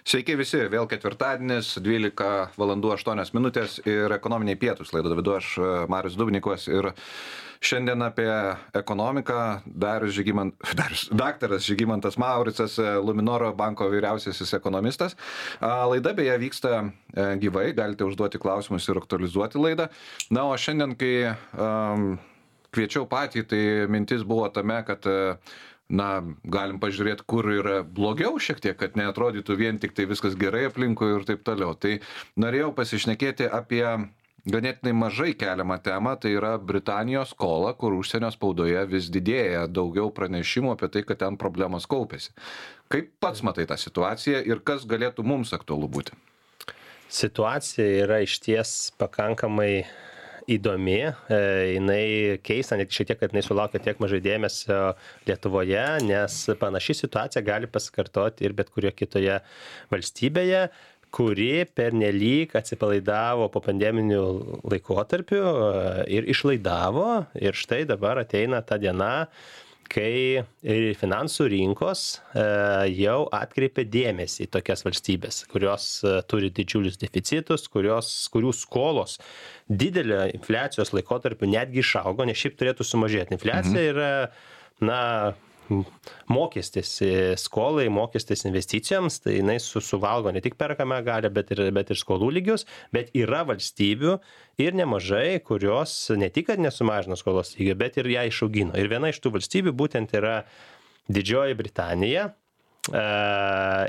Sveiki visi, vėl ketvirtadienis, 12:08 ir ekonominiai pietūs. Laidą vedu aš, Marius Dubnikovas, ir šiandien apie ekonomiką daktaras Žygimantas Mauricas, Luminoro banko vyriausiasis ekonomistas. Laida beje vyksta gyvai, galite užduoti klausimus ir aktualizuoti laidą. Na, o šiandien, kai kviečiau patį, tai mintis buvo tame, kad galim pažiūrėti, kur yra blogiau šiek tiek, kad neatrodytų vien tik tai viskas gerai aplinkui ir taip toliau. Tai norėjau pasišnekėti apie ganėtinai mažai keliamą temą, tai yra Britanijos skola, kur užsienio spaudoje vis didėja daugiau pranešimų apie tai, kad ten problemos kaupėsi. Kaip pats matai tą situaciją ir kas galėtų mums aktualu būti? Situacija yra išties pakankamai įdomi, jinai keista, net šiek tiek, kad jinai sulaukia tiek mažai dėmesio Lietuvoje, nes panaši situacija gali pasikartoti ir bet kurioje kitoje valstybėje, kuri pernelyg atsipalaidavo po pandeminių laikotarpių ir išlaidavo, ir štai dabar ateina ta diena, kai finansų rinkos jau atkreipia dėmesį į tokias valstybės, kurios turi didžiulius deficitus, kurių skolos didelio infliacijos laikotarpiu netgi išaugo, nes šiaip turėtų sumažėti. Infliacija yra, mokestis skolai, mokestis investicijoms, tai jinai suvalgo ne tik perkamą galią, bet ir skolų lygius, bet yra valstybių ir nemažai, kurios ne tik, kad nesumažino skolos lygio, bet ir ją išaugino. Ir viena iš tų valstybių būtent yra Didžioji Britanija. Čia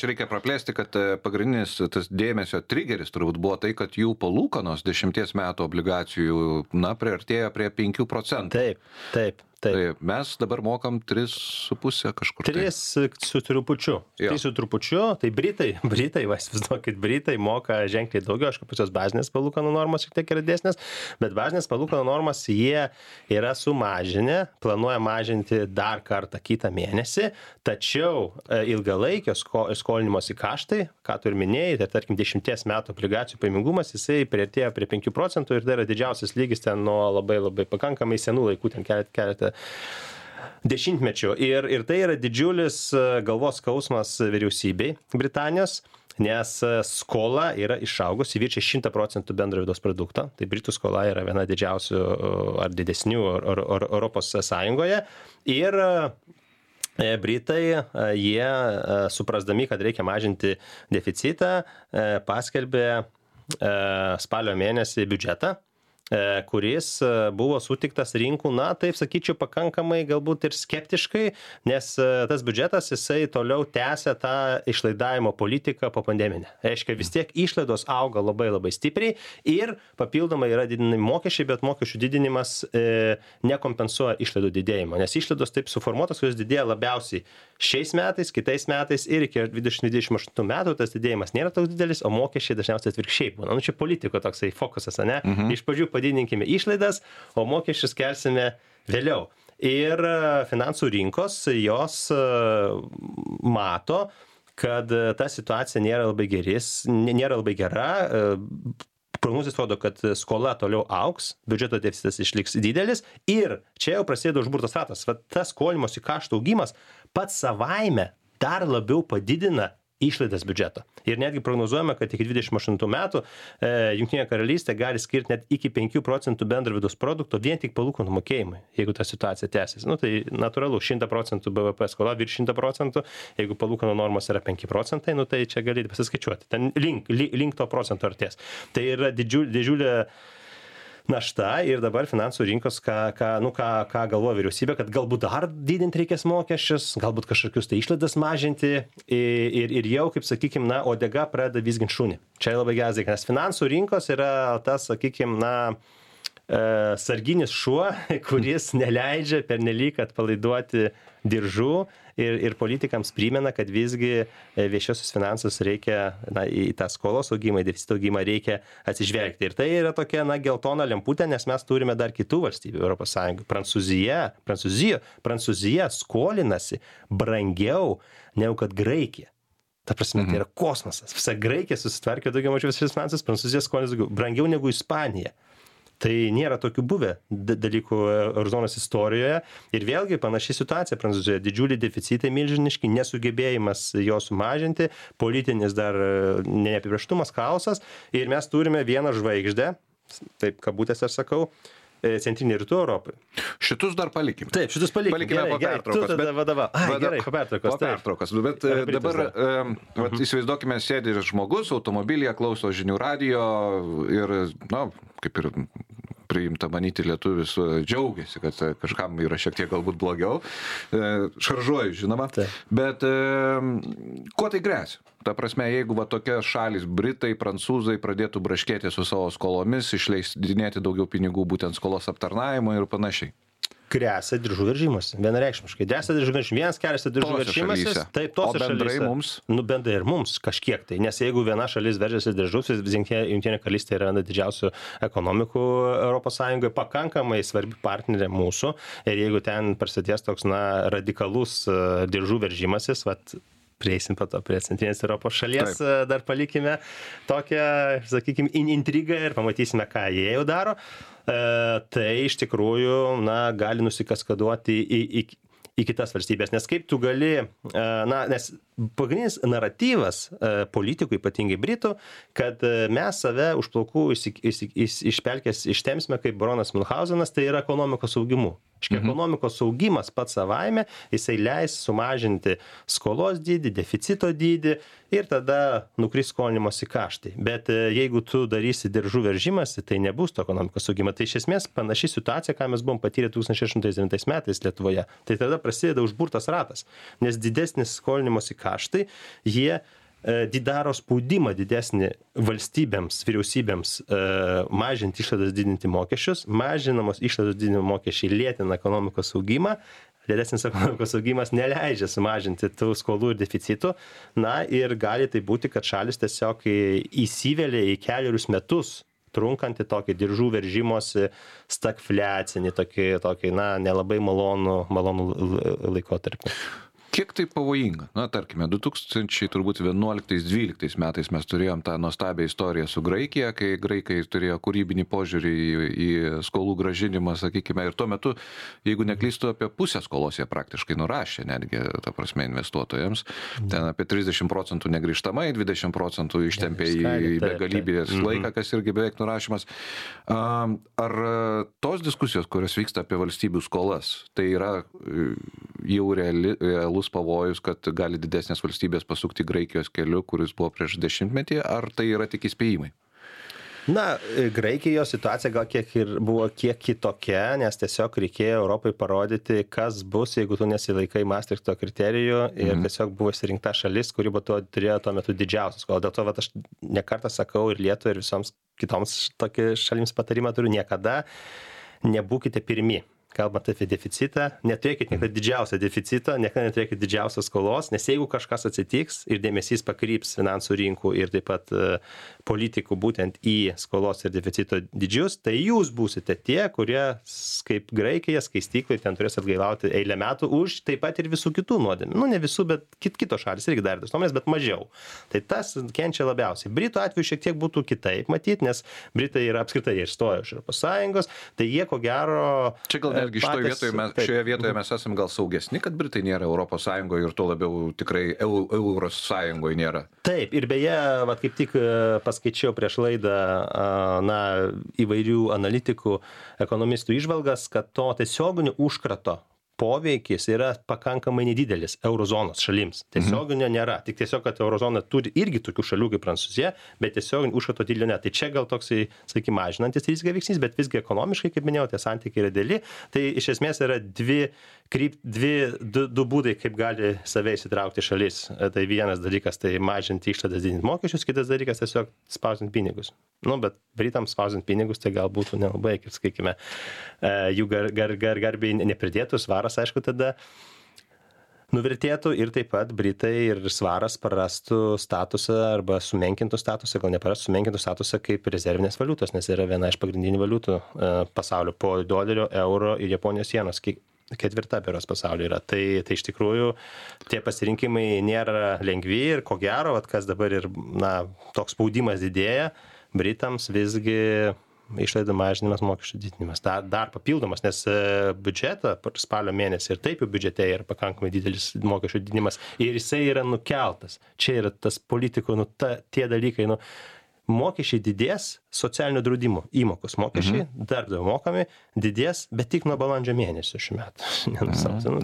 reikia praplėsti, kad pagrindinis tas dėmesio trigeris turbūt buvo tai, kad jų palūkanos 10 metų obligacijų, priartėjo prie 5%. Taip. Tai mes dabar mokam 3,5 kažkur. 3 su trupučiu. 3 su trupučiu. Tai Britai, įsivaizduokit, Britai moka ženkliai daugiau, aišku, pačios bazinės palūkanų normos šiek tiek yra didesnės, bet bazinės palūkanų normas jie yra sumažinę, planuoja mažinti dar kartą kitą mėnesį, tačiau ilgalaikio skolinimosi kaštai, ką tu ir minėjai, tai tarkim 10 metų obligacijų pajamingumas, jisai priartėjo prie 5% ir tai yra didžiausias lygis ten nuo labai pakankamai senų laikų, ten keletą dešimtmečių. Ir tai yra didžiulis galvos skausmas vyriausybei Britanijos, nes skola yra išaugusi, viršija 100% bendro vidaus produkto. Tai Britų skola yra viena didžiausių ar didesnių Europos Sąjungoje. Ir Britai, jie suprasdami, kad reikia mažinti deficitą, paskelbė spalio mėnesį biudžetą, kuris buvo sutiktas rinkų, taip sakyčiau, pakankamai galbūt ir skeptiškai, nes tas biudžetas, jisai toliau tęsia tą išlaidavimo politiką po pandeminę. Reiškia, vis tiek išlaidos auga labai stipriai ir papildomai yra didinami mokesčiai, bet mokesčių didinimas nekompensuoja išlaidų didėjimo, nes išlaidos taip suformuotos, kurios didėja labiausiai šiais metais, kitais metais ir iki 2028 metų tas didėjimas nėra toks didelis, o mokesčiai dažniausiai atvirkščiai būna. Čia politiko toksai fokusas, ne? Iš pradžių padidinkime išlaidas, o mokesčius kelsime vėliau. Ir finansų rinkos, jos mato, kad ta situacija nėra labai gera. Prognozės rodo, kad skola toliau augs, biudžeto deficitas išliks didelis ir čia jau prasideda užburtas ratas. Tas skolimosi kaštų augimas pats savaime dar labiau padidina išlaidas biudžeto. Ir netgi prognozuojame, kad iki 28 metų Jungtinė karalystė gali skirti net iki 5% bendro vidaus produkto vien tik palūkanų mokėjimui, jeigu ta situacija tęsis. Tai natūralu, 100% BVP skola virš 100%, jeigu palūkanų normos yra 5%, tai čia galite pasiskaičiuoti. Ten link to procento artės. Tai yra didžiulė našta ir dabar finansų rinkos, ką galvoja vyriausybė, kad galbūt dar didinti reikės mokesčius, galbūt kažkokius tai išlaidas mažinti ir jau, kaip sakykime, uodega pradeda vizginti šunį. Čia labai geras dalykas, nes finansų rinkos yra tas, sakykime, sarginis šuo, kuris neleidžia pernelyg atpalaiduoti diržų ir politikams primena, kad visgi viešiosius finansus reikia, į tą skolos augimą, į deficito augimą reikia atsižvelgti. Ir tai yra tokia, geltona lemputė, nes mes turime dar kitų valstybių Europos Sąjungoje. Prancūzija skolinasi brangiau negu kad Graikija. Ta prasme, tai yra kosmosas. Visa Graikija susitvarkė daugiau mažiau visus finansus, Prancūzija skolinasi brangiau negu Ispanija. Tai nėra tokių buvę dalykų eurozonos istorijoje. Ir vėlgi panaši situacija Prancūzijoje. Didžiuliai deficitai milžiniški, nesugebėjimas jo sumažinti, politinis dar neapibrėžtumas, chaosas. Ir mes turime vieną žvaigždę, taip kabutėse aš sakau, centrinė rytų Europai. Šitus dar palikime. Taip, šitus palikime. Po pertraukos. Tu tada vadovau. Gerai, po pertraukos. Po pertraukos. Bet dabar įsivaizduokime, sėdi žmogus automobilyje, klauso žinių radijo ir, kaip ir priimta manyti, lietuvis džiaugiasi, kad kažkam yra šiek tiek galbūt blogiau. Šaržuoju, žinoma. Bet kuo tai gresia? Ta prasme, jeigu tokia šalis, Britai, Prancūzai pradėtų braškėti su savo skolomis, išleisdinėti daugiau pinigų būtent skolos aptarnavimo ir panašiai. Gresia diržų veržimas, vienareikšmiškai. Gresia diržų veržimas. Vienas kelias diržų veržimasis. Taip, tose šalyse. O bendrai mums? Bendrai ir mums kažkiek tai. Nes jeigu viena šalis veržiasi diržus, Jungtinė karalystė yra viena didžiausių ekonomikų Europos Sąjungoje, pakankamai svarbi partnerė mūsų. Ir jeigu ten prasidės toks radikalus diržų veržimasis, prieisim po to prie centrinės Europos šalies, taip. Dar palikime tokią, sakykime, intrigą ir pamatysime, ką jie jau daro. Tai iš tikrųjų, gali nusikaskaduoti į kitas valstybės. Nes kaip tu gali, nes pagrindinis naratyvas politikų, ypatingai Britų, kad mes save už plaukų iš pelkės ištemsime kaip baronas Münchhausenas, tai yra ekonomikos augimu. Ekonomikos augimas pats savaime, jisai leis sumažinti skolos dydį, deficito dydį ir tada nukris skolinimosi kaštai. Bet jeigu tu darysi diržų veržimąsi, tai nebus to ekonomikos augimo. Tai iš esmės panaši situacija, ką mes buvom patyrę 2008 metais Lietuvoje. Tai tada prasideda užburtas ratas, nes didesnis skolinimosi kaštai, jie daro spaudimą didesnį valstybėms, vyriausybėms mažinti išlaidas, didinti mokesčius, mažinamos išlaidos didinimo mokesčiai lėtina ekonomikos augimą, didesnis ekonomikos augimas neleidžia sumažinti tų skolų ir deficitų, ir gali tai būti, kad šalis tiesiog įsivelia į kelerius metus trunkantį tokį diržų veržimosi stagfliacinį, tokį nelabai malonų laikotarpį. Kiek tai pavojinga? Tarkime, 2011-2012 metais mes turėjom tą nuostabią istoriją su Graikija, kai graikai turėjo kūrybinį požiūrį į skolų grąžinimą, sakykime, ir tuo metu, jeigu neklystu, apie pusę skolos jie praktiškai nurašė, netgi, ta prasme, investuotojams. Ten apie 30% negrįžtamai, 20% ištempė į begalybės laiką, kas irgi beveik nurašymas. Ar tos diskusijos, kurios vyksta apie valstybių skolas, tai yra jau realus pavojus, kad gali didesnės valstybės pasukti Graikijos keliu, kuris buvo prieš 10-metį, ar tai yra tik įspėjimai? Graikijos situacija gal buvo kiek kitokia, nes tiesiog reikėjo Europai parodyti, kas bus, jeigu tu nesilaikai Maastrichto kriterijų ir tiesiog buvo išsirinkta šalis, kuri turėjo tuo metu didžiausias. Dėl to aš nekartą sakau ir Lietuvai, ir visoms kitoms šalims patarimą turiu, niekada nebūkite pirmi. Kalbant apie deficitą, neturėkit niekada didžiausią deficitą, niekada neturėkit didžiausios skolos, nes jeigu kažkas atsitiks ir dėmesys pakryps finansų rinkų ir taip pat politikų būtent į skolos ir deficito dydžius, tai jūs būsite tie, kurie, kaip Graikija, skaistyklai, ten turės atgailauti eilę metų už taip pat ir visų kitų nuodėmių. Ne visų, bet kitos šalis irgi dar tas nuomonės, bet mažiau. Tai tas kenčia labiausiai. Britų atveju šiek tiek būtų kitaip matyti, nes Britai yra apskritai išstoję iš Europos Sąjungos, tai jie ko gero... Čia gal netgi šioje vietoje mes esame gal saugesni, kad Britai nėra Europos Sąjungoje ir to labiau tikrai Euros Sąjungoje nėra. Taip, ir beje, kaip tik paskaičiau prieš laidą įvairių analitikų, ekonomistų įžvalgas, kad to tiesioginio užkrato poveikis yra pakankamai nedidelis eurozonos šalims. Tiesioginio nėra. Tik tiesiog, kad eurozona turi irgi tokių šalių kaip Prancūzija, bet tiesioginio užkrato didelio ne. Tai čia gal toksai, sakykime, mažinantis riziką veiksnys, bet visgi ekonomiškai, kaip minėjau, tie santykiai yra dideli. Tai iš esmės yra du būdai, kaip gali save įsitraukti šalis. Tai vienas dalykas, tai mažinti išlaidas, didinti mokesčius, kitas dalykas tiesiog spausdinti pinigus. Bet Britams spausdinti pinigus tai gal būtų nelabai, kaip sakykime, jų garbiai nepridėtų, svaras, aišku, tada nuvertėtų ir taip pat Britai ir svaras prarastų statusą arba sumenkintų statusą, gal neprarastų sumenkintų statusą kaip rezervinės valiutos, nes yra viena iš pagrindinių valiutų pasaulio po dolerio, euro ir Japonijos sienos. Ketvirta beros pasaulyje yra. Tai iš tikrųjų tie pasirinkimai nėra lengvi ir ko gero, kas dabar ir toks spaudimas didėja, Britams visgi išlaidų mažinimas, mokesčių didinimas. Dar papildomas, nes biudžetą spalio mėnesį ir taip jau biudžete yra pakankamai didelis mokesčių didinimas ir jisai yra nukeltas. Čia yra tas politikų, tie dalykai, mokesčiai didės, socialinio draudimo įmokos mokesčiai, darbdavio mokami, didės, bet tik nuo balandžio mėnesio šių metų.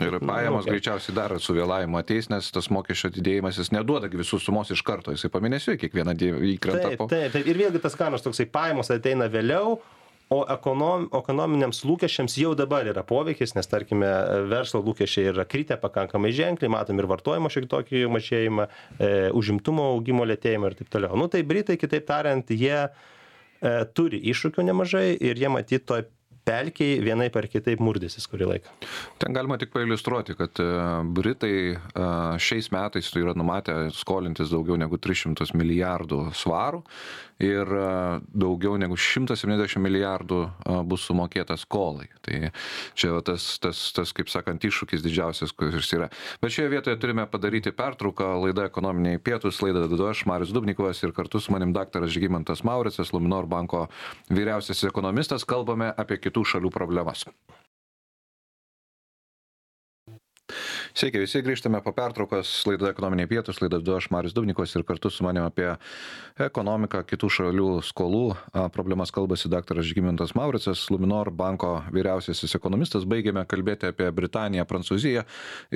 Ir pajamos greičiausiai dar su vėlavimu ateis, nes tas mokesčio didėjimas jis neduoda visus sumos iš karto, jisai pamėnesiui kiekvieną įkrenta. Taip. Ir vėlgi tas kanas toksai pajamos ateina vėliau, o ekonominiams lūkesčiams jau dabar yra poveikis, nes tarkime verslo lūkesčiai yra kritę pakankamai ženkliai, matom ir vartojimo šiek tokį mažėjimą, užimtumo augimo lėtėjimą ir taip toliau. Tai Britai, kitaip tariant, jie turi iššūkių nemažai ir jie matyt toj pelkiai vienaip ar kitaip murdysis kurį laiką. Ten galima tik pailiustruoti, kad Britai šiais metais yra numatę skolintis daugiau negu 300 milijardų svarų ir daugiau negu 170 milijardų bus sumokėta skolai. Tai čia tas kaip sakant, iššūkis didžiausias, kuris yra. Bet šioje vietoje turime padaryti pertrauką. Laida Ekonominiai pietūs, laidą vedu aš, Marius Dubnikovas, ir kartu su manim daktaras Žygimantas Mauricas, Luminor banko vyriausiasis ekonomistas. Kalbame apie kitų šalių problemas. Sveiki, visi grįžtame po pertraukos, laida Ekonominiai pietūs, laidą vedu aš, Marius Dubnikovas, ir kartu su manim apie ekonomiką, kitų šalių skolų problemas kalbasi daktaras Žygimantas Mauricas, Luminor banko vyriausiasis ekonomistas. Baigėme kalbėti apie Britaniją, Prancūziją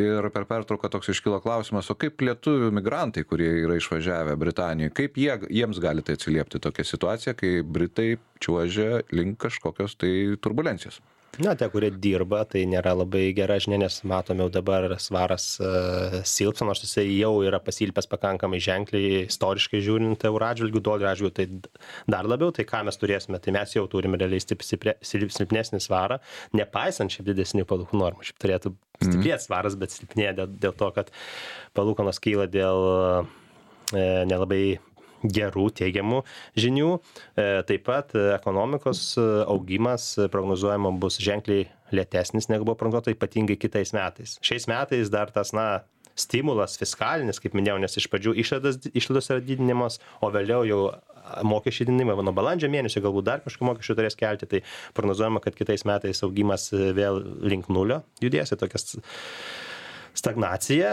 ir per pertrauką toks iškilo klausimas, o kaip lietuvių migrantai, kurie yra išvažiavę Britanijoje, kaip jiems gali tai atsiliepti tokia situacija, kai Britai čiuožia link kažkokios tai turbulencijos? Tie, kurie dirba, tai nėra labai gera žinia, nes matome jau dabar svaras silpsta, nors jisai jau yra pasilpęs pakankamai ženkliai, istoriškai žiūrint euro atžvilgių, dolerio atžvilgių, tai dar labiau, tai ką mes turėsime, tai mes jau turime realiai silpnesnį svarą, nepaisant šiaip didesnių palūkanų normų. Šiaip turėtų stiprėti svaras, bet silpnėja dėl to, kad palūkanos kyla dėl nelabai gerų, teigiamų žinių. Taip pat ekonomikos augimas prognozuojama bus ženkliai lėtesnis, negu buvo prognozuota, ypatingai kitais metais. Šiais metais dar tas, stimulas fiskalinis, kaip minėjau, nes iš pradžių išlaidos yra didinimas, o vėliau jau mokesčių didinimai, nuo balandžio mėnesio galbūt dar kažkokių mokesčių turės kelti, tai prognozuojama, kad kitais metais augimas vėl link nulio judės, tokias stagnacija.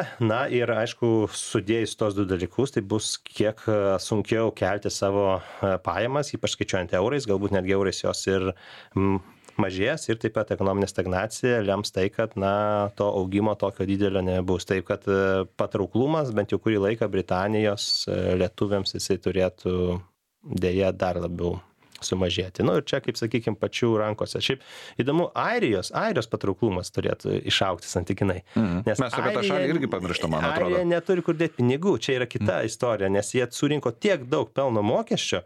Ir aišku, sudėjus tos du dalykus, tai bus kiek sunkiau kelti savo pajamas, ypač skaičiuojant eurais, galbūt netgi eurais jos ir mažės, ir taip pat ekonominė stagnacija lems tai, kad to augimo tokio didelio nebus. Taip, kad patrauklumas bent jau kurį laiką Britanijos lietuviams jisai turėtų dėja dar labiau sumažėti. Ir čia, kaip sakykime, pačių rankose. Šiaip įdomu, Airijos patrauklumas turėtų išaugti santykinai. Nes mes apie tą šalį irgi pamirštam, man atrodo. Airija neturi kur dėti pinigų, čia yra kita istorija, nes jie surinko tiek daug pelno mokesčio,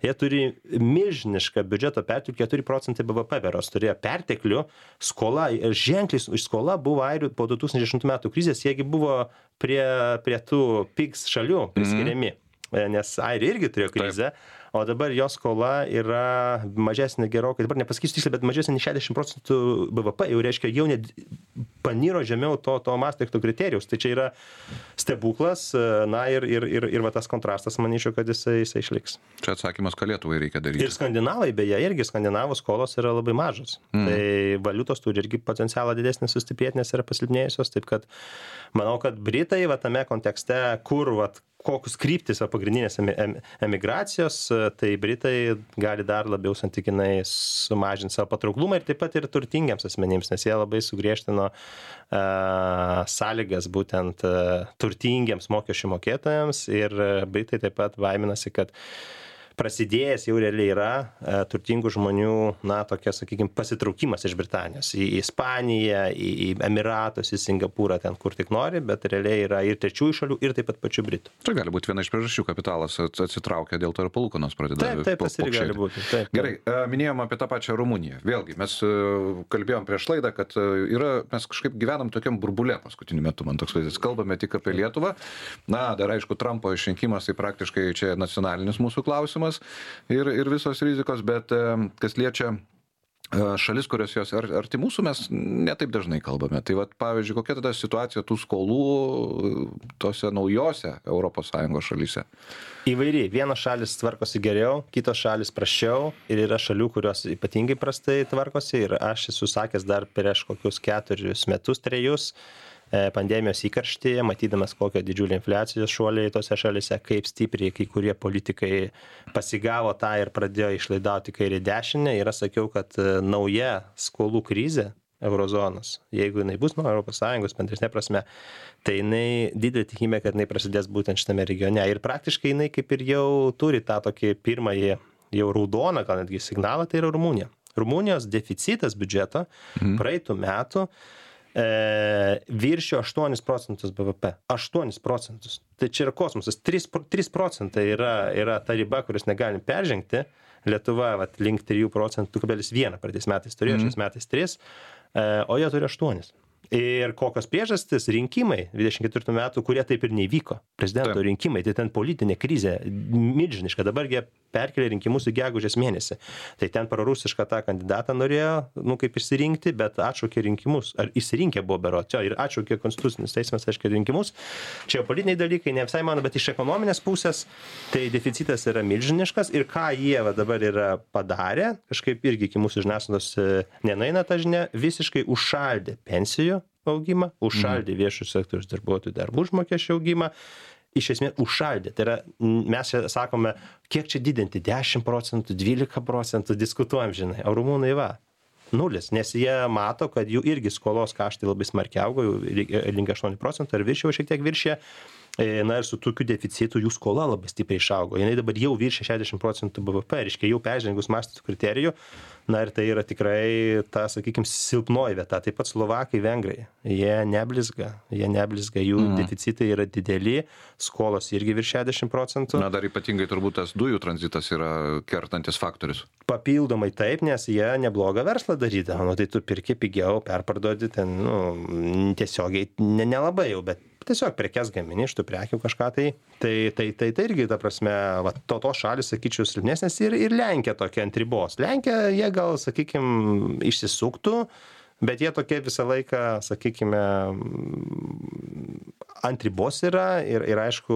jie turi milžinišką biudžeto perteklių, 4% BVP beros turėjo perteklių, skola, ženkliai iš skola buvo airių po 2008 metų krizės, jiegi buvo prie tų PIGS šalių priskiriami, nes airiai irgi turėjo krizę. O dabar jos skola yra mažesnė gerokai, dabar nepasakysiu tiksliai, bet mažesnė nei 60% BVP, jau reiškia, jau net paniro žemiau to Maastrichto kriterijaus. Tai čia yra stebuklas, ir va tas kontrastas, manyčiau, kad jisai išliks. Čia atsakymas, ką Lietuvai reikia daryti. Ir skandinavai, beje, irgi skandinavų skolos yra labai mažos. Tai valiutos turi irgi potencialą didesnį sustiprėti, nes yra pasilpnėjusios. Taip kad manau, kad Britai va tame kontekste, kur kokius kryptis pagrindinės emigracijos, tai Britai gali dar labiau santykinai sumažinti savo patrauklumą ir taip pat ir turtingiams asmenims, nes jie labai sugriežtino sąlygas būtent turtingiems mokesčių mokėtojams, ir Britai taip pat baiminasi, kad prasidėjęs jau realiai yra turtingų žmonių, tokia, sakykime, pasitraukimas iš Britanijos į Ispaniją, į Emiratus, į Singapūrą, ten kur tik nori, bet realiai yra ir trečiųjų šalių, ir taip pat pačių Britų. Tai gali būti viena iš priežasčių, kapitalas atsitraukia, dėl to ir palūkanos pradeda. Taip, tas ir gali būti. Taip. Gerai, minėjom apie tą pačią Rumuniją. Vėlgi, mes kalbėjom prieš laidą, kad mes kažkaip gyvenam tokiam burbule paskutiniu metu, man toks vaizdas. Kalbame tik apie Lietuvą. Dar aišku, Trumpo išrinkimas, tai praktiškai čia nacionalinis mūsų klausimas ir visos rizikos, bet kas liečia šalis, kurios jos arti mūsų, mes netaip dažnai kalbame. Tai vat, pavyzdžiui, kokia tada situacija tų skolų tose naujose ES šalyse? Įvairiai. Vienos šalis tvarkosi geriau, kitos šalis prasčiau ir yra šalių, kurios ypatingai prastai tvarkosi ir aš esu sakęs dar prieš kokius 4 metus, 3 pandemijos įkarštyje, matydamas kokio didžiulio infliacijos šuoliai tose šalise, kaip stipriai kai kurie politikai pasigavo tą ir pradėjo išlaidauti kairį dešinę. Ir aš sakiau, kad nauja skolų krizė eurozonos, jeigu jinai bus nuo ES bendresnė prasme, tai jinai didelė tikimybė, kad jinai prasidės būtent šitame regione. Ir praktiškai jinai kaip ir jau turi tą tokį pirmąjį jau raudoną, gal netgi signalą, tai yra Rumunija. Rumunijos deficitas biudžeto praeitų metų viršijo 8% BVP. 8%. Tai čia yra kosmosas. 3% yra ta riba, kuris negalim peržengti. Lietuva link 3%, 2,1 praeitais metais turėjo, šiais metais 3, o jie turi 8. Ir kokios priežastys? Rinkimai 24 metų, kurie taip ir neįvyko. Prezidento rinkimai, tai ten politinė krizė milžiniška. Dabar jie perkelė rinkimus į gegužės mėnesį. Tai ten prorusišką tą kandidatą norėjo, kaip išsirinkti, bet atšaukė rinkimus. Ar išsirinkę buvo berods? Ir atšaukė konstitucinis teismas, aiškiai, rinkimus. Čia politiniai dalykai, ne visai mano, bet iš ekonominės pusės tai deficitas yra milžiniškas. Ir ką jie dabar yra padarę, kažkaip irgi iki mūsų žiniasklaidos nenueina ta žinia, visiškai užšaldė pensijų augimą, užšaldė viešų sektoriaus darbuotojų darbų užmokesčio augimą, iš esmės užšaldė. Tai yra, mes čia sakome, kiek čia didinti, 10%, 12%, diskutuojam, žinai, o rumunai 0, nes jie mato, kad jų irgi skolos kaštai labai smarkiai augo, link 8% ar viršiau šiek tiek viršė. Na ir su tokiu deficitu jų skola labai stipriai išaugo. Jinai dabar jau viršė 60% BVP, reiškia jau peržengus Maastrichto kriterijų. Na ir tai yra tikrai ta, sakykime, silpnoji vieta. Taip pat Slovakai, Vengrai. Jie neblizga, jų deficitai yra dideli, skolos irgi virš 60%. Na dar ypatingai turbūt tas dujų tranzitas yra kertantis faktorius. Papildomai taip, nes jie neblogą verslą darydavo. Nu, tai tu pirki pigiau, perparduodi ten, tiesiogiai nelabai jau, bet tiesiog prekes gamini iš tų prekių kažką tai irgi, ta prasme, tos šalis, sakyčiau, silpnesnės ir Lenkija tokia ant ribos. Lenkija, jie gal, sakykime, išsisuktų, bet jie tokie visą laiką, sakykime, ant ribos yra ir aišku,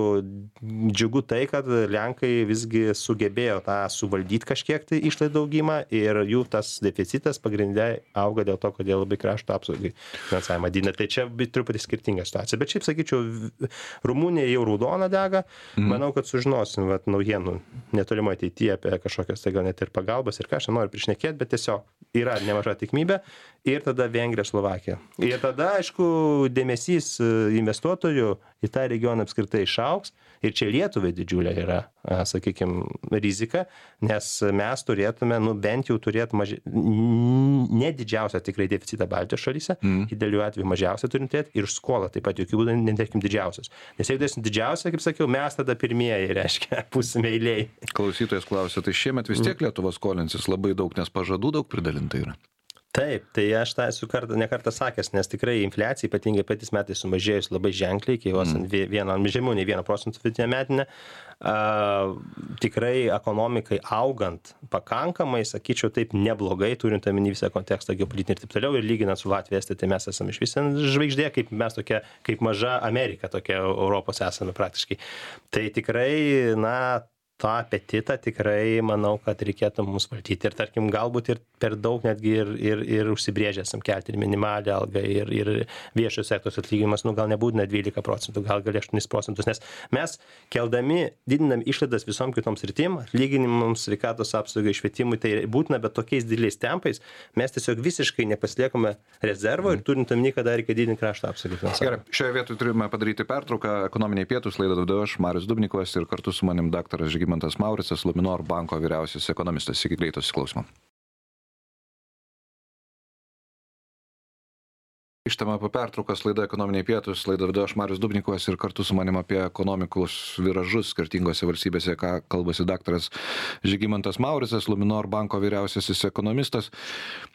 džiugu tai, kad Lenkai visgi sugebėjo tą suvaldyti kažkiek tai išlaidų augimą ir jų tas deficitas pagrindė auga dėl to, kad jie labai krašto apsaugai finansavimą didina. Tai čia truputį skirtinga situacija. Bet šiaip sakyčiau, Rumunija jau raudona dega. Manau, kad sužinosim naujienų netolimoje ateityje apie kažkokias tai gal net ir pagalbas ir ką aš noriu prišnekėti, bet tiesiog yra nemaža tikimybė. Ir tada Vengrija, Slovakija. Ir tada, aišku, dėmesys investuotojų į tą regioną apskritai išaugs. Ir čia Lietuvai didžiulė yra, sakykime, rizika, nes mes turėtume, bent jau turėti ne didžiausią tikrai deficitą Baltijos šalyse, idealiu atveju mažiausią turintėti ir skolą taip pat jokių būdų netarkim didžiausios. Nes jeigu dėsim didžiausią, kaip sakiau, mes tada pirmieji, reiškia, būsime eiliai. Klausytojas klausia, tai šiemet vis tiek Lietuva skolinsis labai daug, nes pažadų daug pridalinta yra. Taip, tai aš tą esu ne kartą sakęs, nes tikrai infliacija, ypatingai patys metais sumažėjus labai ženkliai, iki jos žemiau nei 1% vidutinė metinė, tikrai ekonomikai augant pakankamai, sakyčiau, taip neblogai, turint omeny visą kontekstą geopolitinį ir taip toliau, ir lyginant su Latvija, tai mes esame iš visą žvaigždė, kaip mes tokia, kaip maža Amerika, tokia Europos esame praktiškai. Tai tikrai, tą apetitą tikrai manau, kad reikėtų mums valdyti ir tarkim galbūt ir per daug netgi ir užsibrėžęs kelti ir minimalią algą ir viešo sektoriaus atlyginimas, gal nebūtina 12%, gal 8%, nes mes keldami, didinami išlaidas visom kitom sritim, atlyginimams, sveikatos apsaugai, švietimui, tai būtina, bet tokiais dideliais tempais mes tiesiog visiškai nepasiliekame rezervo ir turint omeny, kad reikia didinti krašto apsaugą. Gerai, šioje vietoje turime padaryti pertrauką. Ekonominiai pietūs, laidą vedu aš, Marius Dubnikovas, ir kartu su manim daktaras Žygimantas Mauricas, Luminor banko vyriausiasis ekonomistas. Iki greito susiklausymo. Grįžtame po pertraukos, laida Ekonominiai pietūs, laidą vedu aš, Marius Dubnikovas, ir kartu su manim apie ekonomikos viražus skirtingose valstybėse, ką kalbasi daktaras Žygimantas Mauricas, Luminor banko vyriausiasis ekonomistas.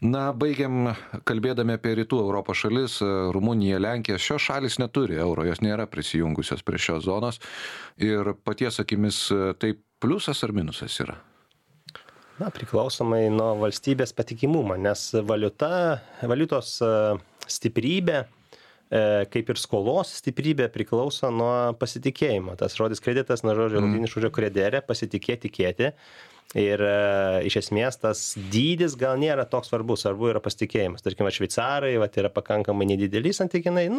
Baigiam kalbėdami apie rytų Europos šalis, Rumuniją, Lenkiją. Šios šalis neturi euro, jos nėra prisijungusios prie šios zonos. Ir paties akimis, tai pliusas ar minusas yra? Priklausomai nuo valstybės patikimumo, nes valiutos stiprybė, kaip ir skolos stiprybė priklauso nuo pasitikėjimo. Tas žodis kreditas, nuo žodžio latinis žodžio credere, pasitikėti, tikėti. Ir iš esmės tas dydis gal nėra toks svarbus, svarbu yra pasitikėjimas. Tarkim, šveicarai yra pakankamai nedideli santykinai,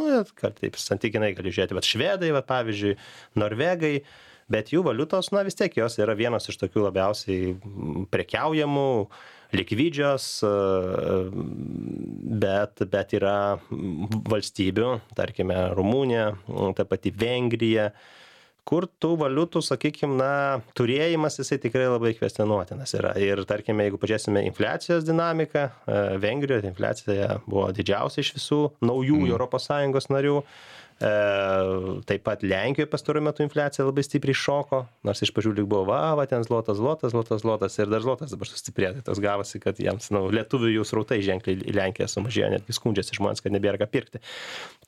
taip santykinai gali žiūrėti, švedai, pavyzdžiui, norvegai, bet jų valiutos, vis tiek jos yra vienos iš tokių labiausiai prekiaujamų, likvidžios, bet yra valstybių, tarkime, Rumunija, ta pati Vengrija, kur tų valiutų, sakykime, turėjimas jisai tikrai labai kvestionuotinas yra. Ir tarkime, jeigu pažiūrėsime infliacijos dinamiką, Vengrijoje infliacija buvo didžiausia iš visų naujų ES narių. Taip pat Lenkijoje pastaruoju metu infliacija labai stipriai šoko, nors iš pradžių lyg buvo, ten zlotas ir dar zlotas dabar sustiprėjo. Tai tas gavosi, kad jiems, lietuvių jų srautai ženkliai į Lenkiją sumažėjo, netgi skundžiasi žmonės, kad nebėra ką pirkti.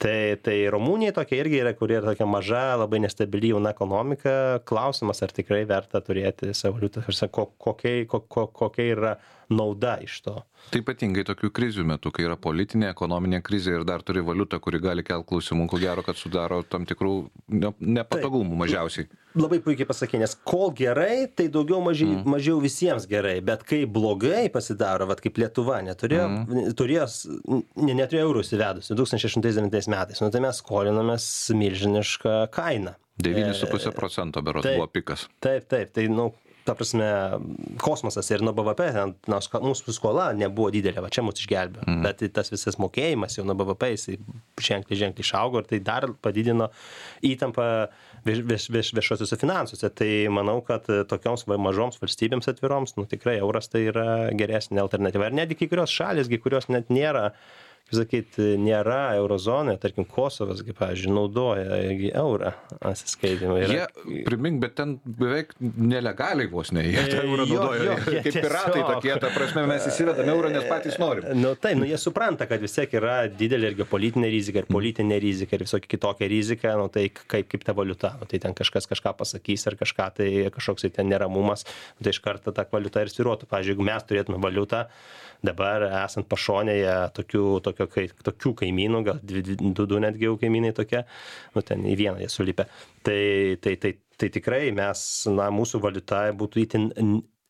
Tai Rumunija tokia irgi yra, kuri yra tokia maža, labai nestabili jauna ekonomika. Klausimas, ar tikrai verta turėti savo valiutą, kokia yra nauda iš to. Tai ypatingai tokių krizių metu, kai yra politinė, ekonominė krizė ir dar turi valiutą, kuri gali kelti klausimų, ko gero, kad sudaro tam tikrų nepatogumų mažiausiai. Labai puikiai pasakė, nes kol gerai, tai daugiau mažiau visiems gerai, bet kai blogai pasidaro, kaip Lietuva neturėjo eurų įsivedusi 2008 metais, tai mes skolinomės milžinišką kainą. 9,5% berods buvo pikas. Taip, tai ta prasme, kosmosas ir nuo BVP, nors mūsų skola nebuvo didelė, čia mūsų išgelbėjo, bet tas visas mokėjimas jau nuo BVP jisai ženkliai išaugo ir tai dar padidino įtampą viešuosiuose finansuose. Tai manau, kad tokioms mažoms valstybėms atviroms, tikrai euras tai yra geresnė alternatyva. Ir netgi kai kurios šalys, kurios net nėra, nėra eurozonoje, tarkim, Kosovas, pavyzdžiui, naudoja eurą atsiskaitimui. Primink, bet ten beveik nelegaliai vos ne, jie tą eurą naudoja, kaip piratai tokie, ta prasme, mes įsivedame eurą, nes patys norim. Jie supranta, kad vis tiek yra didelė ir geopolitinė rizika, ir politinė rizika, ir visokia kitokia rizika, tai kaip ta valiuta, tai ten kažkas kažką pasakys, ar kažkoks ten neramumas, tai iš karto ta valiuta ir svyruotų. Pavyzdžiui, jeigu mes turėtume valiutą, dabar esant pašonėje tokių kaimynų, gal du netgi jau kaimynai tokie, ten į vieną jie sulipę. Tai tikrai mūsų valiuta būtų itin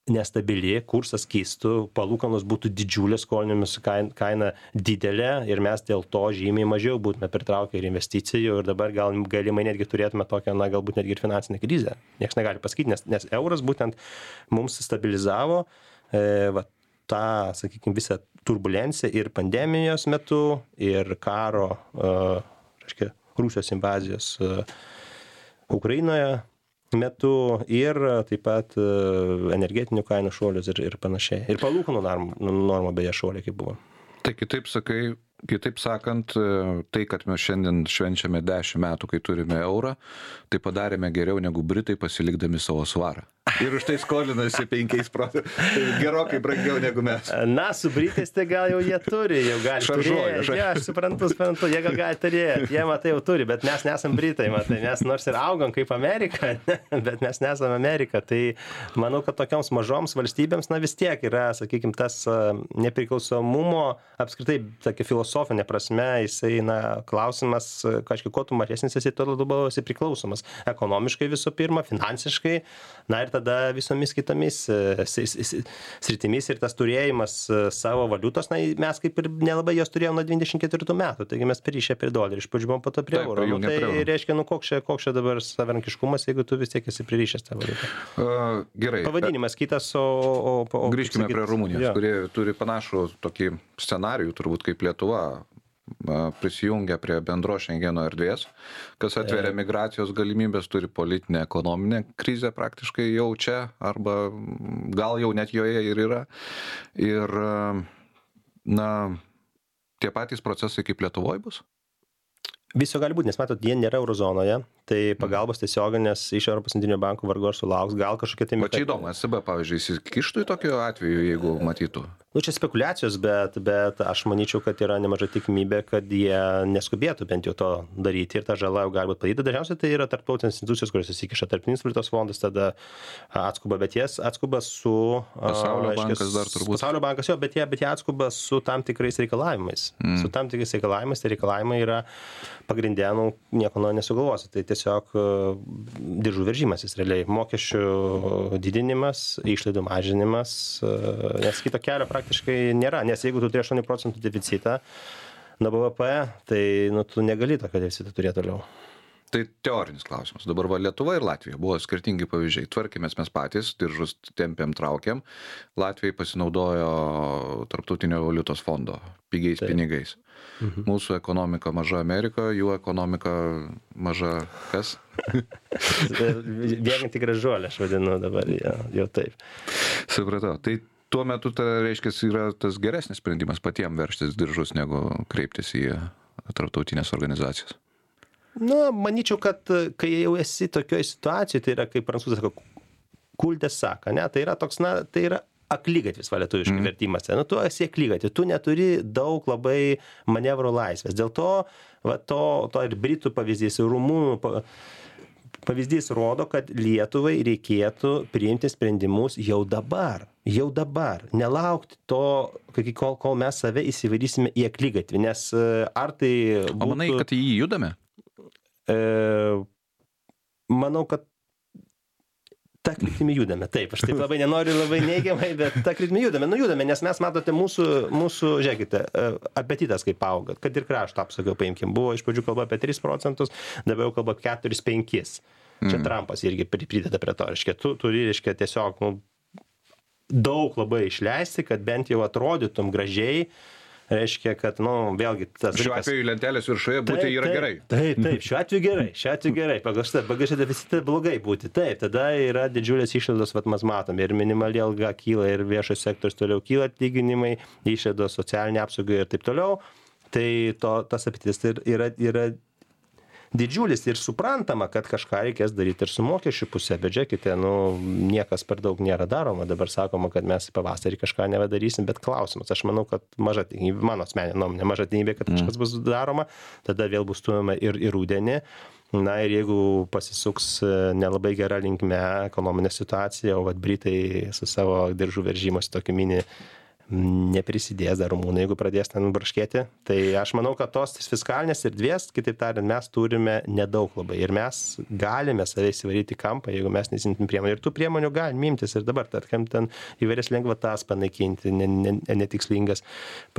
nestabili, kursas keistų, palūkanos būtų didžiulės, skolinimus kaina didelė ir mes dėl to žymiai mažiau būtume pritraukę ir investicijų ir dabar galimai netgi turėtume tokią, galbūt netgi ir finansinę krizę. Niekas negali pasakyti, nes euras būtent mums stabilizavo tą, sakykime, visą turbulenciją ir pandemijos metu, ir karo, Rusijos invazijos Ukrainoje metu, ir taip pat energetinių kainų šuolius ir panašiai. Ir palūkanų normų beje šuoliai kaip buvo. Tai kitaip sakant, tai, kad mes šiandien švenčiame 10 metų, kai turime eurą, tai padarėme geriau negu Britai pasilikdami savo svarą. Ir už tai skolinasi 5%. Tai gerokai brangiau negu mes. Su Britais tai gal jau jie turi, jau gali turėti. Aš suprantu, jie gal gali turėti, jie matai jau turi, bet mes nesam Britai, mes nors ir augam kaip Amerika, bet mes nesam Amerika. Tai manau, kad tokioms mažoms valstybėms, vis tiek yra, sakykime, tas nepriklausomumo, apskritai, tokia filosofinė prasme, jisai, klausimas, kažkiek, kuo tu mažesnis esi, tuo labiau esi priklausomas. Ekonomiškai visų pirma, finansiškai, ir tada visomis kitomis sritimis ir tas turėjimas savo valiutos, mes kaip ir nelabai jos turėjome nuo 94 metų, taigi mes pririšę prie dolerį, iš pradžių buvom po to prie euro. Tai reiškia, koks čia dabar savarankiškumas, jeigu tu vis tiek esi pririšęs tą valiutą. Gerai. Pavadinimas kitas, grįžkime prie Rumunijos, kurie turi panašų tokį scenarijų, turbūt kaip Lietuva, prisijungia prie bendros Šengeno erdvės, kas atveria migracijos galimybės, turi politinę, ekonominę krizę praktiškai jau čia, arba gal jau net joje ir yra. Ir, tie patys procesai kaip Lietuvoje bus? Viso gali būti, nes matot, jie nėra eurozonoje, tai pagalbos tiesioginės iš Europos centrinio banko vargu ar sulauks, gal kažkokie tai... O čia įdomu, ECB, pavyzdžiui, įsikištų į tokiu atveju, jeigu matytų? Nu, čia spekulacijos, bet aš manyčiau, kad yra nemaža tikimybė, kad jie neskubėtų bent jau to daryti ir ta žala jau gali būti padaryta. Dažniausiai tai yra tarptautinės institucijos, kurios įsikiša, Tarptautinis valiutos fondas tada atskuba, bet jie atskuba su... Pasaulio bankas dar turbūt. Pasaulio bankas jo, bet jie atskuba su tam tikrais reikalavimais. Su tam tikrais reikalavimais, tai reikalavimai yra pagrindė, nieko nesugalvosi. Tai tiesiog diržų veržimasis realiai. Mokesčių didinimas, išlaidų mažinimas, nes kito kelio praktiškai nėra, nes jeigu tu turi 8% deficitą nuo BVP, tai tu negali tokio deficito turėti toliau. Tai teorinis klausimas. Dabar Lietuva ir Latvija buvo skirtingi pavyzdžiai. Tvarkėmės mes patys, diržus tempėm, traukėm. Latvijai pasinaudojo Tarptautinio valiutos fondo pigiais pinigais. Mūsų ekonomika maža Amerika, jų ekonomika maža kas? Bėganti gražuolė, aš vadinu dabar, jau taip. Supratau. Tai tuo metu, reiškia, yra tas geresnis sprendimas patiems verštis diržus, negu kreiptis į tarptautinės organizacijas. Manyčiau, kad kai jau esi tokioje situacijoje, tai yra, kaip prancūzai sako, kultės saka, ne? Tai yra toks, tai yra aklygatvis lietuviškai vertimas. Tu esi aklygatvis, tu neturi daug labai manevro laisvės. Dėl to, to ir Britų pavyzdys, ir Rumunų pavyzdys rodo, kad Lietuvai reikėtų priimti sprendimus jau dabar. Nelaukti to, kol mes save įsivarysime į aklygatvį, nes ar tai būtų... O manai, kad į jį judame? Manau, kad ta kryptimi judame. Taip, aš taip labai nenoriu labai neigiamai, bet ta kryptimi judame. Judame, nes mes matote mūsų, žiūrėkite, apetitas kaip auga, kad ir krašto apsaugiau paimkim. Buvo iš pradžių kalba apie 3%, dabar jau kalba 4-5%. Čia Trumpas irgi prideda prie to, reiškia, tu turi, reiškia, tiesiog daug labai išleisti, kad bent jau atrodytum gražiai, reiškia, kad, vėlgi, tas... Šiuo atveju lentelės viršuje būti yra gerai. Taip, šiuo atveju gerai. Pagal šitą deficitą blogai būti. Taip, tada yra didžiulės išlaidos, mes matome, ir minimali alga kyla, ir viešas sektorius toliau kyla atlyginimai, išlaidos socialinė apsauga ir taip toliau. Tai tas apetitas yra didžiulis ir suprantama, kad kažką reikės daryti ir su mokesčių pusė, bet žiūrėkite, niekas per daug nėra daroma, dabar sakoma, kad mes pavasarį kažką nebedarysim, bet klausimas, aš manau, kad maža tikimybė, mano asmeninė nuomonė, maža tikimybė, kad kažkas bus daroma, tada vėl bus stumiama ir rudenį. Ir jeigu pasisuks nelabai gera linkme ekonominė situacija, o Britai su savo diržų veržimosi tokį mini neprisidės dar Rumunai, jeigu pradės ten braškėti. Tai aš manau, kad tos fiskalinės erdvės, kitaip tariant, mes turime nedaug labai. Ir mes galime save įsivaryti kampą, jeigu mes nesimtum priemonių. Ir tų priemonių galime imtis ir dabar, tarkim, ten įvairias lengvatas panaikinti, netikslingas,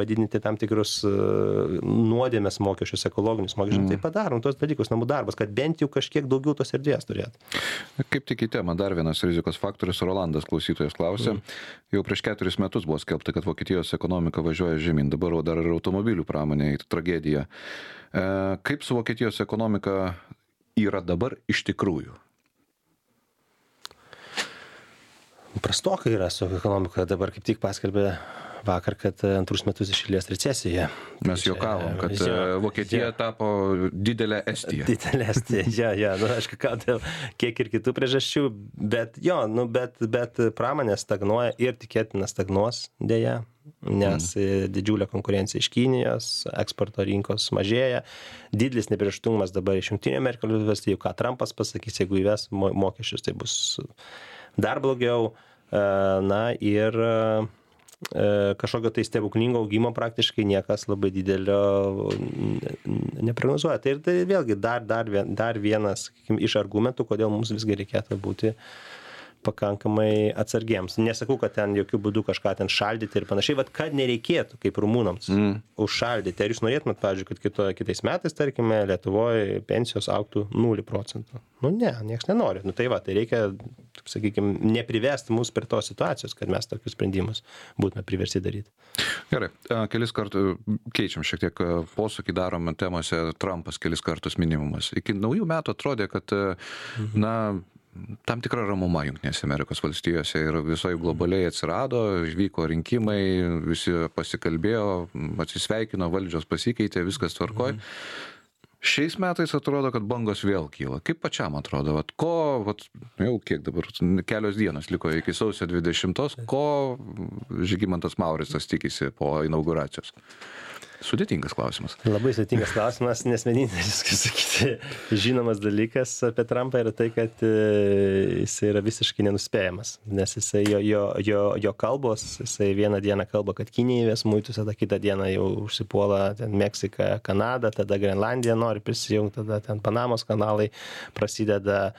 padidinti tam tikrus nuodėmės mokesčius, ekologinius mokesčius. Tai padarom tos dalykus, namų darbas, kad bent jau kažkiek daugiau tos erdvės turėtų. Kaip tik į temą, dar vienas rizikos faktorius, Rolandas klausytojas klausė. Jau prieš 4 metus buvo skelbta, kad Vokietijos ekonomika važiuoja žemyn, dabar dar ir automobilių pramonė, tragedija. Kaip su Vokietijos ekonomika yra dabar iš tikrųjų? Prastokai yra su ekonomika, dabar kaip tik paskelbė vakar, kad antrus metus iš eilės recesija. Mes juokavom, kad Vokietija tapo didelė Estija. Didelė Estija, aišku, dėl kiek ir kitų priežasčių, bet bet pramonė stagnuoja ir tikėtina stagnuos dėja, nes didžiulė konkurencija iš Kinijos, eksporto rinkos mažėja, didelis neapibrėžtumas dabar iš Jungtinių Amerikos valstijų, ką Trumpas pasakys, jeigu įves mokesčius, tai bus dar blogiau. Ir kažkokio tai stebuklingo augimo praktiškai niekas labai didelio neprognozuoja. Tai vėlgi dar vienas iš argumentų, kodėl mums visgi reikėtų būti pakankamai atsargiems. Nesakau, kad ten jokių būdų kažką ten šaldyti ir panašiai, bet kad nereikėtų, kaip rumunams, užšaldyti. Ar jūs norėtumėt, pavyzdžiui, kad kitais metais, tarkime, Lietuvoje pensijos augtų 0%? Nieks nenori. Tai reikia, sakykime, neprivesti mus prie tos situacijos, kad mes tokius sprendimus būtume priversti daryti. Gerai, kelis kartus keičiam šiek tiek posūkį, darome temose, Trumpas kelis kartus minimumas. Iki naujų metų atrodė, kad, tam tikra ramuma Jungtinėse Amerikos valstijose ir visoje globaliai atsirado, vyko rinkimai, visi pasikalbėjo, atsisveikino, valdžios pasikeitė, viskas tvarkoj. Šiais metais atrodo, kad bangos vėl kyla. Kaip pačiam atrodo? Jau kiek dabar, kelios dienos liko iki sausio 20, ko Žygimantas Mauricas tikisi po inauguracijos? Sudėtingas klausimas. Labai sudėtingas klausimas, nes vienintelis, kaip sakyti, žinomas dalykas apie Trumpą yra tai, kad jisai yra visiškai nenuspėjamas. Nes jisai, jo kalbos, jisai vieną dieną kalba, kad Kinija įves muitus, tada kitą dieną jau užsipuola ten Meksika, Kanada, tada Grenlandija nori prisijungti, tada ten Panamos kanalai prasideda.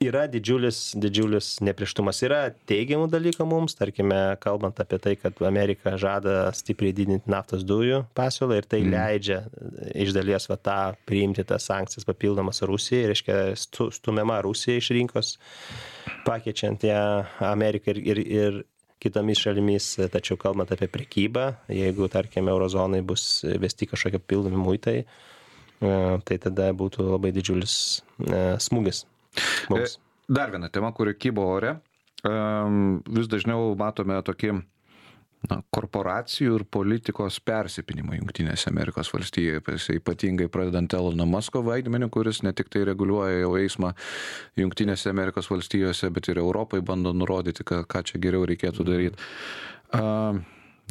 Yra didžiulis neprieštumas. Yra teigiamų dalykų mums, tarkime, kalbant apie tai, kad Amerika žada stipriai didinti naftos dujų pasiūlą ir tai leidžia iš dalies tą priimti tas sankcijas papildomas Rusijai, reiškia stumiama Rusija iš rinkos, pakeičiant ją Ameriką ir kitomis šalimis, tačiau kalbant apie prekybą, jeigu, tarkime, eurozonai bus vesti kažkokie papildomi muitai, tai tada būtų labai didžiulis smūgis. Mums. Dar viena tema, kuri kybo ore. Vis dažniau matome tokį korporacijų ir politikos persipinimą Jungtinėse Amerikos valstijose, ypatingai pradedant Elono Musko vaidmenį, kuris ne tik tai reguliuoja jau eismą Jungtinėse Amerikos valstijose, bet ir Europai bando nurodyti, ką čia geriau reikėtų daryti.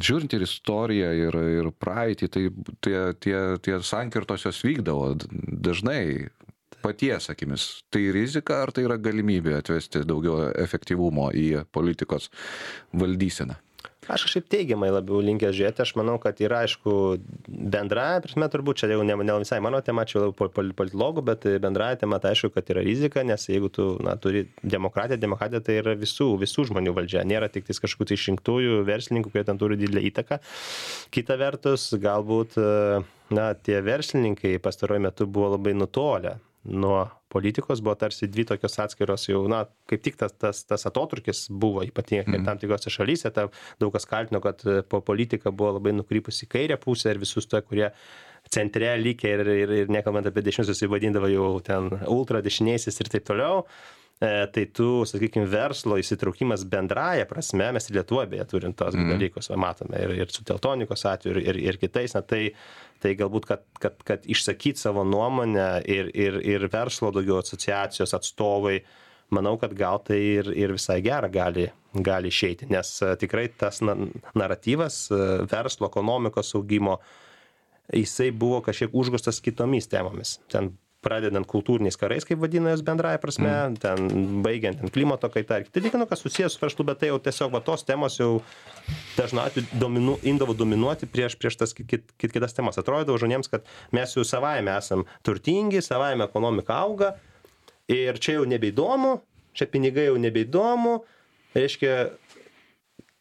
Žiūrint ir istoriją ir praeitį, tai tie sankirtosios vykdavo dažnai paties akimis. Tai rizika ar tai yra galimybė atvesti daugiau efektyvumo į politikos valdyseną? Aš kažkaip teigiamai labiau linkęs žiūrėti. Aš manau, kad yra, aišku, bendrąja prasme, turbūt čia jau ne visai mano tema, čia jau politologų, bet bendrąja tema tai aišku, kad yra rizika, nes jeigu tu turi demokratija tai yra visų žmonių valdžia. Nėra tik tais kažkokių tai išrinktųjų verslininkų, kurie ten turi didelę įtaką. Kita vertus, galbūt tie verslininkai pastaruoju metu buvo labai nutolę nuo politikos, buvo tarsi dvi tokios atskiros jau, kaip tik tas atotrukis buvo ypatingai tam tikrose šalyse, daug kas kaltino, kad po politika buvo labai nukrypusi į kairę pusę ir visus to, kurie centre likė ir nekalbant apie dešiniuosius įvadindavo jau ten ultradešiniaisiais ir taip toliau. Tai tu, sakykime, verslo įsitraukimas bendraja prasme, mes ir Lietuvoje beje turim tos dalykus, matome ir su Teltonikos atveju ir kitais, tai galbūt, kad išsakyti savo nuomonę ir verslo daugiau asociacijos atstovai, manau, kad gal tai ir visai gera gali išeiti, nes tikrai tas naratyvas verslo ekonomikos augimo, jisai buvo kažkiek užgožtas kitomis temomis. Ten pradedant kultūriniais karais, kaip vadina jos bendraja prasme, ten baigiant ten klimato kaitą ir kiti dalykai, kas susijęs su verslu, bet tai jau tiesiog tos temos jau dažnai imdavo dominuoti prieš tas kitas temas. Atrodydavo žmonėms, kad mes jau savaime esam turtingi, savaime ekonomika auga ir čia jau nebeįdomu, čia pinigai jau nebeįdomu, reiškia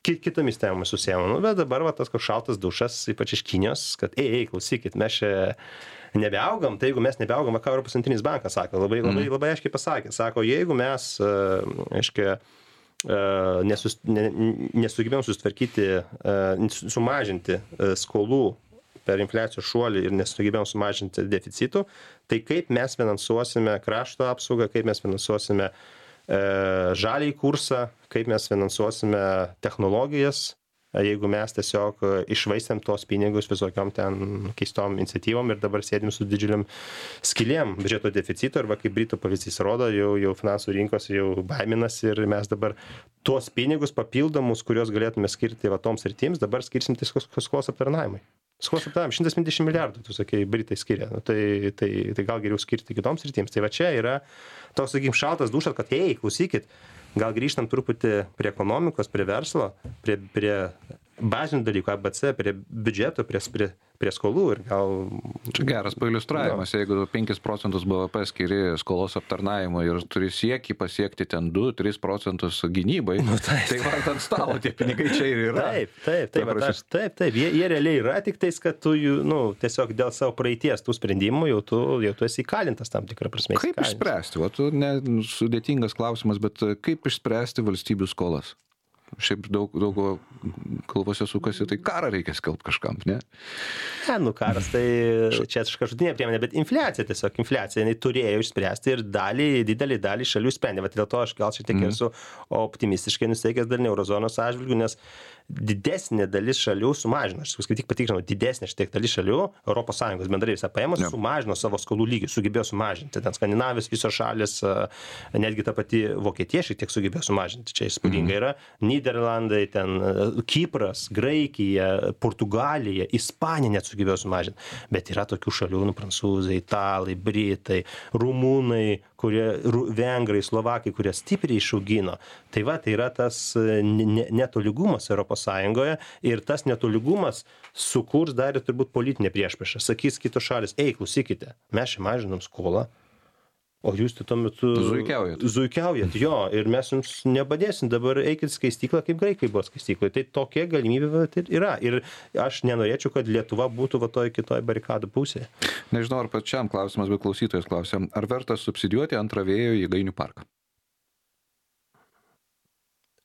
kitomis temomis susijęs. Bet dabar tas koks šaltas dušas, ypač iš Kinijos, kad klausykit, mes čia nebeaugam, tai jeigu mes nebeaugam, ką Europos centrinis bankas sako, labai aiškiai pasakė, sako, jeigu mes, aiškiai, nesugebėjom susitvarkyti, sumažinti skolų per infliacijos šuolį ir nesugebėjom sumažinti deficitų, tai kaip mes finansuosime krašto apsaugą, kaip mes finansuosime žaliąjį kursą, kaip mes finansuosime technologijas, jeigu mes tiesiog išvaistėm tos pinigus visokiom ten keistom iniciatyvom ir dabar sėdim su didžiuliam skylėm biudžeto deficito, arba kaip Britų pavyzdys rodo, jau finansų rinkos jau baiminasi ir mes dabar tuos pinigus papildomus, kuriuos galėtume skirti toms sritims, dabar skirsim tiesiog skolos aptarnavimui. Skolos aptarnavimui 120 milijardų, tu sakei, Britai skiria, tai gal geriau skirti kitoms sritims. Tai va čia yra toks, sakykim, šaltas dušas, kad klausykit, gal grįžtam truputį prie ekonomikos, prie verslo, prie bazinių dalykų, ABC, prie biudžeto, prie skolų ir gal... Čia geras pailiustravimas, jeigu 5% BVP skiri skolos aptarnavimo ir turi siekį pasiekti ten 2-3% gynybai, tai vart ant stalo tie pinigai čia ir yra. Taip, jie realiai yra, tik tais, kad tu tiesiog dėl savo praeities tų sprendimų jau tu esi įkalintas tam tikrą prasme. Kaip išspręsti? Sudėtingas klausimas, bet kaip išspręsti valstybių skolas? Šiaip daug kalbose sukasi, tai karą reikia skelbti kažkam, ne? Karas, tai čia kažkotinė priemonė, bet infliacija, jinai turėjo išspręsti ir didelį dalį šalių sprendė. Dėl to aš gal šiek tiek esu optimistiškai nusteikęs dar ne eurozonos atžvilgiu, nes didesnė dalis šalių sumažino, aš kaip tik patikrinau, didesnė šiek dalis šalių, ES bendrai visą paėmus, sumažino savo skolų lygį, sugebėjo sumažinti. Ten Skandinavijos visos šalis, netgi ta pati Vokietija šiek tiek sugebėjo sumažinti. Čia įspūdinga yra. Niderlandai, ten Kipras, Graikija, Portugalija, Ispanija net sugebėjo sumažinti. Bet yra tokių šalių, prancūzai, italai, britai, rumūnai, vengrai, slovakai, kurie stipriai išaugino. Tai va, tai yra tas netolygumas ES ir tas netolygumas sukurs dar ir turbūt politinė priešpriešą. Sakys kitos šalis, klausykite, mes čia mažinam skolą, o jūs tuo metu zuikiaujat, jo, ir mes jums nepadėsim, dabar eikit skaistyklą, kaip graikai buvo skaistykloje. Tai tokia galimybė yra. Ir aš nenorėčiau, kad Lietuva būtų kitoj barikadų pusėje. Nežinau, ar pačiam klausimas, bet klausytojas klausia, ar verta subsidijuoti antrą vėjo jėgainių parką?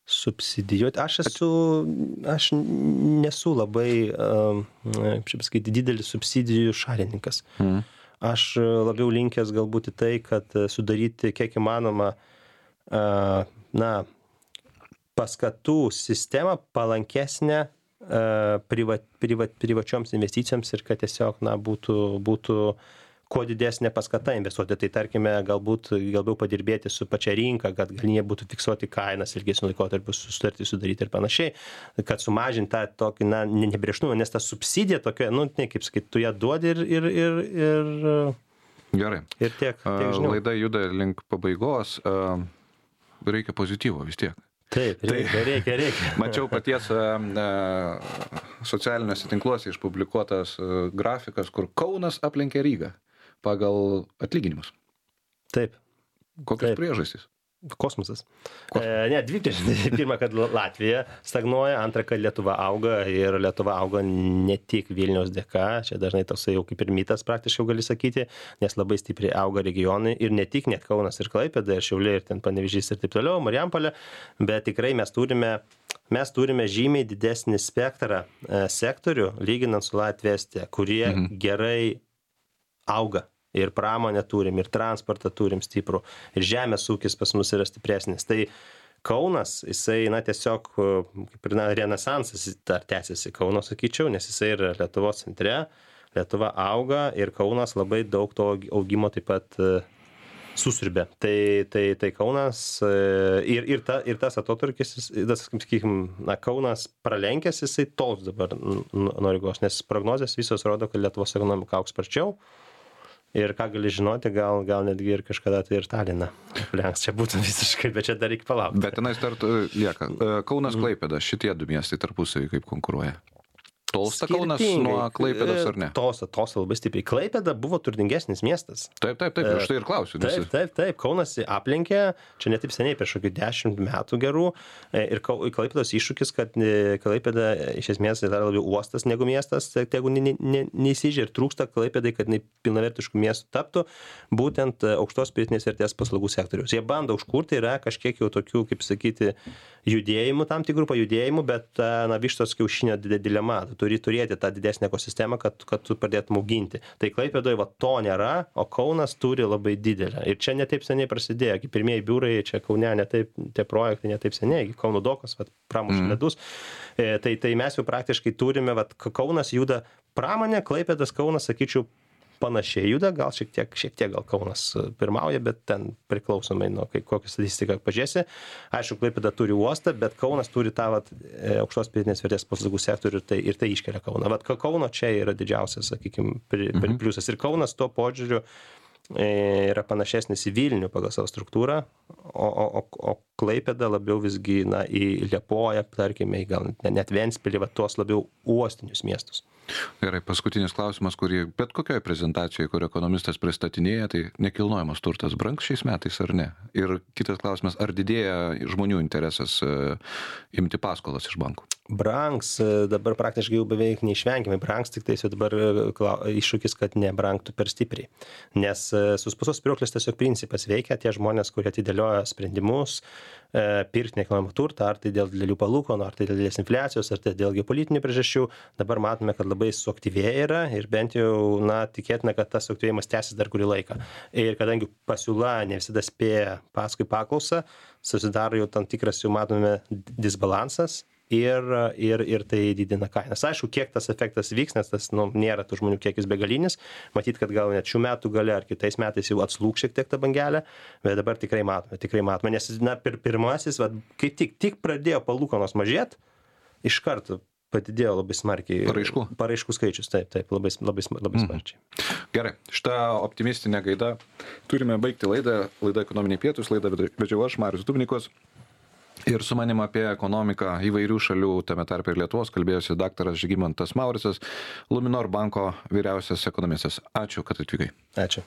Subsidijuoti. Aš nesu labai, kaip pasakyti, didelis subsidijų šalininkas. Aš labiau linkęs galbūt į tai, kad sudaryti kiek įmanoma paskatų sistemą palankesnę privačioms investicijoms ir kad tiesiog būtų kuo didesnė paskata investuoti. Tai tarkime, galbūt labiau padirbėti su pačia rinka, kad galimybė būtų fiksuoti kainas ilgesniu laikotarpiu, sutartį sudaryti ir panašiai, kad sumažinti tą tokį nebrėžtumą, nes ta subsidija tokia, kaip sakyti, tu ją duodi ir Gerai. Ir tiek žinau. Laida juda link pabaigos, reikia pozityvo vis tiek. Taip, reikia. Mačiau paties socialiniuose tinkluose išpublikuotas grafikas, kur Kaunas aplenkė Rygą pagal atlyginimus. Taip. Kokios priežastys? Kosmosas. Dvi priežastys. Pirma, kad Latvija stagnuoja, antra, kad Lietuva auga ir Lietuva auga ne tik Vilniaus dėka, čia dažnai toksai jau kaip ir mitas praktiškai gali sakyti, nes labai stipriai auga regionai ir ne tik net Kaunas ir Klaipėda, ir Šiauliai, ir ten Panevėžys ir taip toliau, Marijampolė, bet tikrai mes turime žymiai didesnį spektrą sektorių, lyginant su Latvija, Estija, kurie gerai auga. Ir pramonę turim, ir transportą turim stiprų, ir žemės ūkis pas mus yra stipresnis. Tai Kaunas, jisai, tiesiog, kaip ir renesansas dar tęsiasi Kauno, sakyčiau, nes jisai yra Lietuvos centre, Lietuva auga ir Kaunas labai daug to augimo taip pat susiurbė. Tai Kaunas ir tas atotrūkis, Kaunas pralenkęs, jisai tols dabar nuo Rygos, nes prognozės visos rodo, kad Lietuvos ekonomika augs sparčiau. Ir ką gali žinoti, gal netgi ir kažkada tai ir Taliną aplenks. Čia būtų visiškai, bet čia dar reikia palaukti. Bet tenais dar lieka. Kaunas, Klaipėda, šitie du miestai tarpusavy kaip konkuruoja? Tolsta Kaunas nuo Klaipėdos ar ne? Tolsta labai stipriai. Klaipėda buvo turtingesnis miestas. Taip, aš tai ir klausiu. Taip. Kaunas aplenkė, čia ne taip seniai, prieš kokį 10 metų gerų. Ir Klaipėdos iššūkis, kad Klaipėda iš esmės yra labiau uostas negu miestas, tegu neįsižė ir trūksta Klaipėdai, kad pilnavertiškų miestų taptų būtent aukštos pridėtinės vertės paslaugų sektoriaus. Jie bando užkurti, yra kažkiek jau tokių, kaip sakyti, judėjimų, tam tikrų pajudėjimų, bet vištos kiaušinio dilema. Turi turėti tą didesnę ekosistemą, kad tu pradėtum auginti. Tai Klaipėdoje to nėra, o Kaunas turi labai didelę. Ir čia netaip seniai prasidėjo, kaip pirmieji biurai, čia Kaune tie projektai netaip seniai, Kauno dokas, pramušė ledus. Tai mes jau praktiškai turime, Kaunas juda pramonė, Klaipėdas, Kaunas, sakyčiau, panašiai juda, gal šiek tiek gal Kaunas pirmauja, bet ten priklausomai nuo kokią statistiką pažiūrėsi. Aišku, Klaipėda turi uostą, bet Kaunas turi tą aukštos pridėtinės vertės paslaugų sektorių ir tai iškelia Kauną. Kauno čia yra didžiausias, sakykime, pliusas. Ir Kaunas tuo požiūriu yra panašesnis į Vilnių pagal savo struktūrą, o Klaipėda labiau visgi į Liepoją, tarkime, gal net Ventspilį, tuos labiau uostinius miestus. Gerai, paskutinis klausimas, kurį bet kokioje prezentacijoje, kur ekonomistas pristatinėja, tai nekilnojamas turtas brangs šiais metais ar ne? Ir kitas klausimas, ar didėja žmonių interesas imti paskolas iš bankų? Brangs, dabar praktiškai jau beveik neišvengiamai brangs, tik tai dabar iššūkis, kad nebrangtų per stipriai. Nes suspaustos spyruoklės tiesiog principas veikia, tie žmonės, kurie atidėlioja sprendimus, pirkti nekilnojamą turtą, ar tai dėl didelių palūkanų, ar tai dėl didelės infliacijos, ar tai dėl geopolitinių priežasčių. Dabar matome, kad labai suaktyvėja yra ir bent jau tikėtina, kad tas suaktyvėjimas tęsis dar kurį laiką. Ir kadangi pasiūla ne visada spėja paskui paklausą, susidaro jau tam tikras, jau matome, disbalansas ir tai didina kainas. Aišku, kiek tas efektas vyks, nes tas nėra tų žmonių kiekis begalinis. Matyt, kad gal net šių metų gale ar kitais metais jau atslūgs šiek tiek ta bangelė, bet dabar tikrai matome. Nes pirmasis, kai tik pradėjo palūkanos mažėti, iš karto padidėjo labai smarkiai paraiškų skaičius. Taip, labai smarkiai. Gerai, šitą optimistinę gaidą turime baigti laidą Ekonominiai pietūs, laidą vedžiau aš, Marius Dubnikovas. Ir su manim apie ekonomiką įvairių šalių, tame tarpe ir Lietuvos, kalbėjosi daktaras Žygimantas Mauricas, Luminor banko vyriausias ekonomistas. Ačiū, kad atvykai. Ačiū.